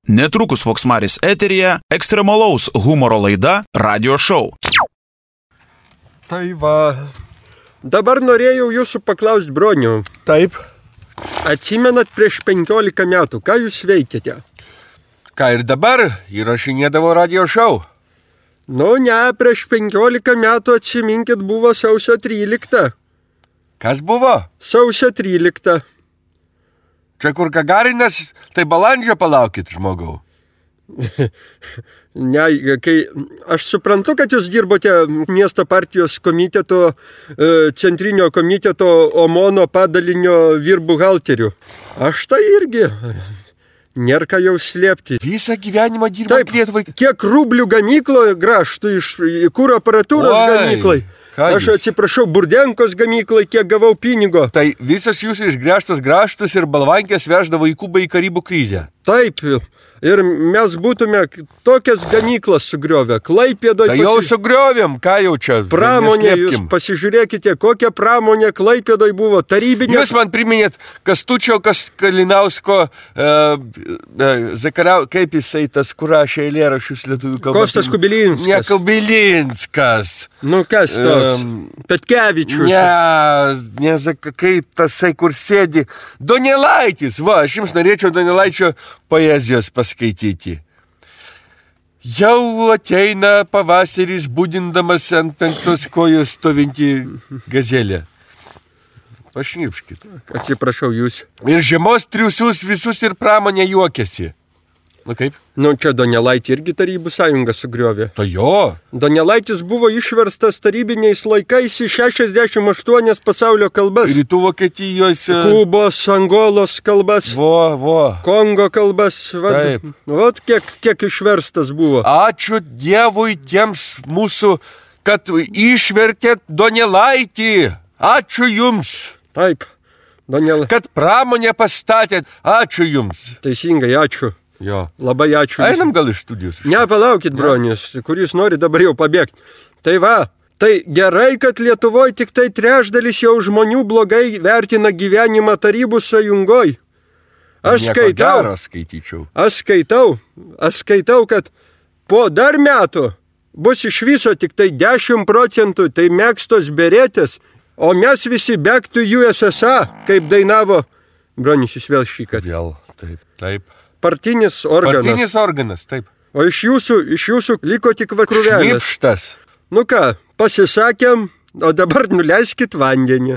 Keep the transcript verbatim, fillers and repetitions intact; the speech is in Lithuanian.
Netrukus Voksmaris eteryje ekstremalaus humoro laida Radio Show. Tai va, dabar norėjau jūsų paklausti, bronių. Taip. Atsimenat prieš penkiolika metų, ką jūs veikėte? Ką ir dabar įrašinėdavo Radio Show. Nu ne, prieš penkiolika metų atsiminkit buvo sausio trylikta. Kas buvo? Sausio trylikta. Čia kur Gagarinas, tai balandžio palaukit, žmogau. Ne, kai aš suprantu, kad jūs dirbote miesto partijos komiteto, centrinio komiteto Omono padalinio vyrbuhalterių. Aš tai irgi. Nėra ką jau slėpti. Visą gyvenimą dirbant Lietuvai. Kiek rublių gamyklo graštų iš kūro aparatūros Oi, gamyklai. Aš jūs? atsiprašau, Burdenkos gamyklai, kiek gavau pinigo. Tai visas jūsų išgręžtos graštus ir balvankės veždavo į Kubą į Karibų krizę. Taip, ir mes būtume tokias gamyklas sugriovę. Klaipėdoj... Tai jau pasi... sugriovėm, ką jau čia? Pramonė, jūs pasižiūrėkite, kokia pramonė Klaipėdoj buvo, tarybinė... Jūs man priminėt Kastučio kas Kalinausko, e, e, Zakarau, kaip jisai tas, kur rašė eilėraščius lietuvių kalbos. Kostas Kubilinskas. Ne Kubilinskas. Nu kas toks? Um, Petkevičius. Ne, ne, kaip tasai, kur sėdi. Donelaitis, va, aš jums norėčiau Donelaičio poezijos paskaityti. Jau ateina pavasaris, būdindamas ant penktos kojos stovinti gazelė. Pašnipškit. Atsiprašau jūs. Ir žiemos triusius visus ir pramonė juokiasi. Nu kaip? Nu čia Donelaitį irgi Tarybų sąjunga sugriovė. To jo. Donelaitis buvo išverstas tarybiniais laikais į šešiasdešimt aštuonias pasaulio kalbas. Rytų Vokietijos. Kubos, Angolos kalbas. Vo, vo. Kongo kalbas. Vat, Taip. Vat kiek, kiek išverstas buvo. Ačiū Dievui tiems mūsų, kad išvertėt Donelaitį. Ačiū jums. Taip. Donela... Kad pramonę pastatėt. Ačiū jums. Teisingai, ačiū. Jo. Labai ačiū. Einam gal iš studijos. Ne, palaukit, bronius, kuris nori dabar jau pabėgti. Tai va, tai gerai, kad Lietuvoje tik tai trečdalis jau žmonių blogai vertina gyvenimą Tarybų sąjungoj. Aš Nieko skaitau, gero skaityčiau. aš skaitau, aš skaitau, kad po dar metų bus iš viso tik tai dešimt procentų tai mėgstos beretės, o mes visi back to U S S R, kaip dainavo bronius jūs vėl šįkart. Vėl, taip, taip. Partinis organas. Partinis organas, taip. O iš jūsų, iš jūsų liko tik vakrūvelės. Šnipštas. Nu ką, pasisakėm, o dabar nuleiskit vandenį.